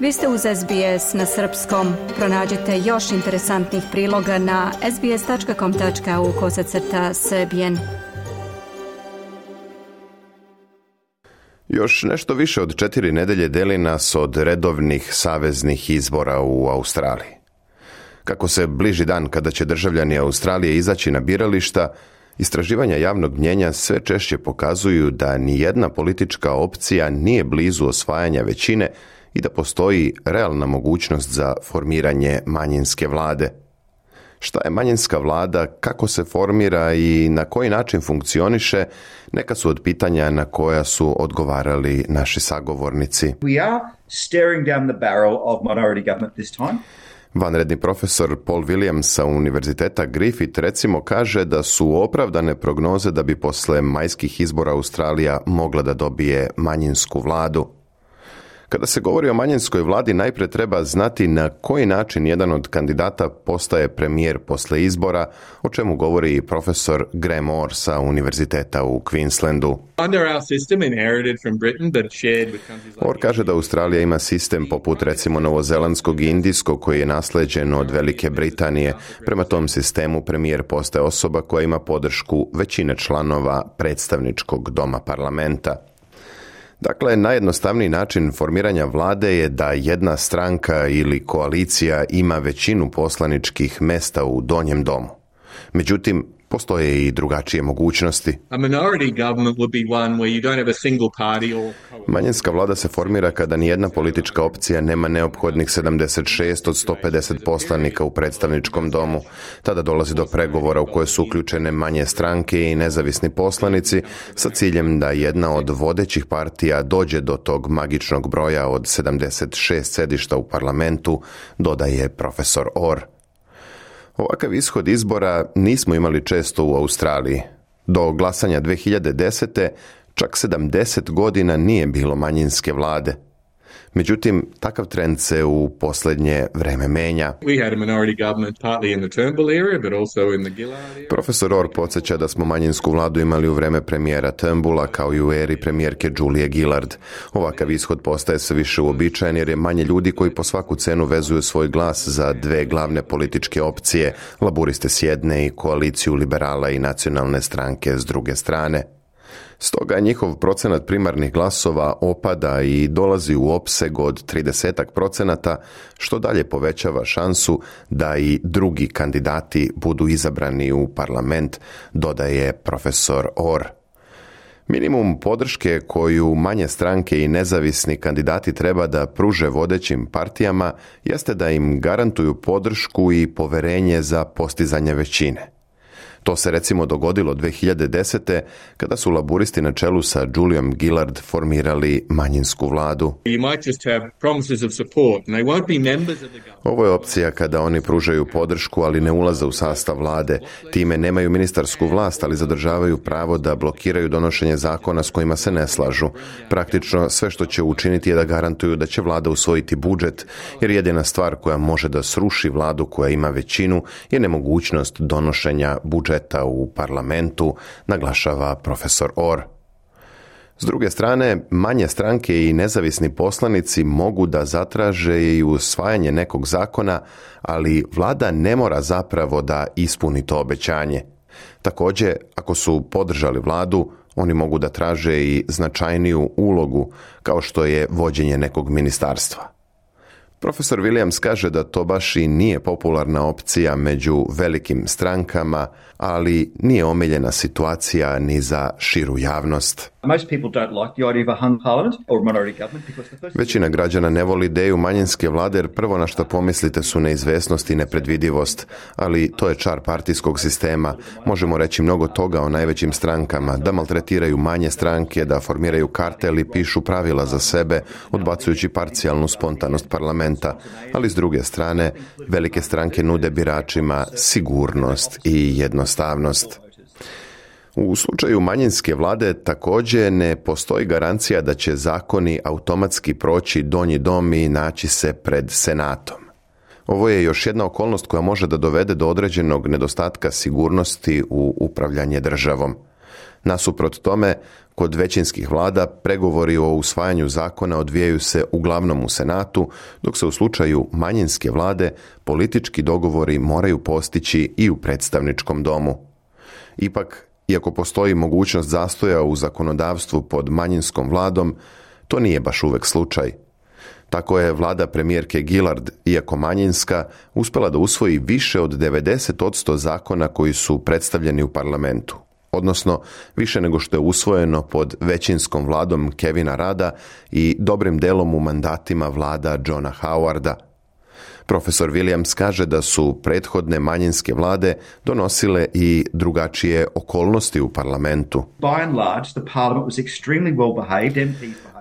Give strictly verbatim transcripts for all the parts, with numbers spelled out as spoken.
Vi ste uz S B S na srpskom. Pronađite još interesantnih priloga na sbs.com.au kosacrta srbijen. Još nešto više od četiri nedelje deli nas od redovnih saveznih izbora u Australiji. Kako se bliži dan kada će državljani Australije izaći na birališta, istraživanja javnog mnjenja sve češće pokazuju da ni jedna politička opcija nije blizu osvajanja većine i da postoji realna mogućnost za formiranje manjinske vlade. Šta je manjinska vlada, kako se formira i na koji način funkcioniše, neka su od pitanja na koja su odgovarali naši sagovornici. We are staring down the barrel of minority government this time. Vanredni profesor Paul Williams sa Univerziteta Griffith recimo kaže da su opravdane prognoze da bi posle majskih izbora Australija mogla da dobije manjinsku vladu. Kada se govori o manjinskoj vladi, najprije treba znati na koji način jedan od kandidata postaje premijer posle izbora, o čemu govori i profesor Graham Orr sa Univerziteta u Queenslandu. Orr kaže da Australija ima sistem poput recimo novozelandskog i indijskog koji je nasleđen od Velike Britanije. Prema tom sistemu premijer postaje osoba koja ima podršku većine članova predstavničkog doma parlamenta. Dakle, najjednostavniji način formiranja vlade je da jedna stranka ili koalicija ima većinu poslaničkih mesta u donjem domu. Međutim, postoje i drugačije mogućnosti. Manjinska vlada se formira kada nijedna politička opcija nema neophodnih sedamdeset šest od sto pedeset poslanika u predstavničkom domu. Tada dolazi do pregovora u koje su uključene manje stranke i nezavisni poslanici sa ciljem da jedna od vodećih partija dođe do tog magičnog broja od sedamdeset šest sedišta u parlamentu, dodaje profesor Orr. Ovakav ishod izbora nismo imali često u Australiji. Do glasanja dve hiljade desete čak sedamdeset godina nije bilo manjinske vlade. Međutim, takav trend se u posljednje vreme menja. Profesor Orr podsjeća da smo manjinsku vladu imali u vreme premijera Turnbulla kao i u eri premijerke Julie Gillard. Ovakav ishod postaje sve više uobičajen jer je manje ljudi koji po svaku cenu vezuju svoj glas za dve glavne političke opcije, laburiste s jedne i koaliciju liberala i nacionalne stranke s druge strane. Stoga njihov procenat primarnih glasova opada i dolazi u opseg od trideset procenata, što dalje povećava šansu da i drugi kandidati budu izabrani u parlament, dodaje profesor Orr. Minimum podrške koju manje stranke i nezavisni kandidati treba da pruže vodećim partijama jeste da im garantuju podršku i poverenje za postizanje većine. To se recimo dogodilo dve hiljade desete kada su laburisti na čelu sa Juliom Gillard formirali manjinsku vladu. Ovo je opcija kada oni pružaju podršku, ali ne ulaze u sastav vlade. Time nemaju ministarsku vlast, ali zadržavaju pravo da blokiraju donošenje zakona s kojima se ne slažu. Praktično sve što će učiniti je da garantuju da će vlada usvojiti budžet, jer jedina stvar koja može da sruši vladu koja ima većinu je nemogućnost donošenja budžeta u parlamentu, naglašava profesor Orr. S druge strane, manje stranke i nezavisni poslanici mogu da zatraže i usvajanje nekog zakona, ali vlada ne mora zapravo da ispuni to obećanje. Također, ako su podržali vladu, oni mogu da traže i značajniju ulogu, kao što je vođenje nekog ministarstva. Profesor Williams kaže da to baš i nije popularna opcija među velikim strankama, ali nije omiljena situacija ni za širu javnost. Većina građana ne voli ideju manjinske vlade jer prvo na što pomislite su neizvesnost i nepredvidivost, ali to je čar partijskog sistema. Možemo reći mnogo toga o najvećim strankama, da maltretiraju manje stranke, da formiraju kartel i pišu pravila za sebe, odbacujući parcijalnu spontanost parlamenta, ali s druge strane, velike stranke nude biračima sigurnost i jednostavnost. U slučaju manjinske vlade također ne postoji garancija da će zakoni automatski proći donji dom i naći se pred senatom. Ovo je još jedna okolnost koja može da dovede do određenog nedostatka sigurnosti u upravljanje državom. Nasuprot tome, kod većinskih vlada pregovori o usvajanju zakona odvijaju se uglavnom u Senatu, dok se u slučaju manjinske vlade politički dogovori moraju postići i u predstavničkom domu. Ipak, iako postoji mogućnost zastoja u zakonodavstvu pod manjinskom vladom, to nije baš uvek slučaj. Tako je vlada premijerke Gillard, iako manjinska, uspjela da usvoji više od devedeset posto zakona koji su predstavljeni u parlamentu, odnosno više nego što je usvojeno pod većinskom vladom Kevina Rada i dobrim delom u mandatima vlada Johna Howarda. Profesor Williams kaže da su prethodne manjinske vlade donosile i drugačije okolnosti u parlamentu.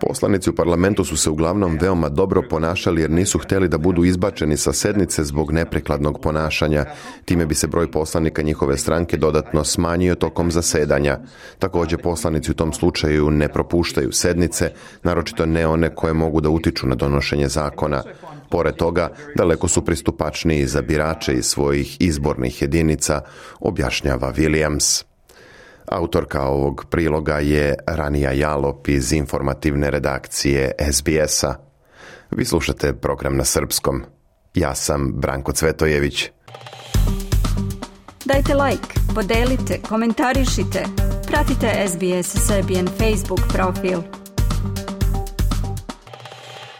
Poslanici u parlamentu su se uglavnom veoma dobro ponašali jer nisu htjeli da budu izbačeni sa sednice zbog neprikladnog ponašanja. Time bi se broj poslanika njihove stranke dodatno smanjio tokom zasedanja. Također poslanici u tom slučaju ne propuštaju sednice, naročito ne one koje mogu da utiču na donošenje zakona. Pored toga, daleko su pristupačniji za birače iz svojih izbornih jedinica, objašnjava Williams. Autorka ovog priloga je Ranija Jalop iz informativne redakcije S B S-a. Vi slušate program na srpskom. Ja sam Branko Cvetojević. Dajte like, podelite, komentarišite. Pratite S B S Serbian Facebook profil.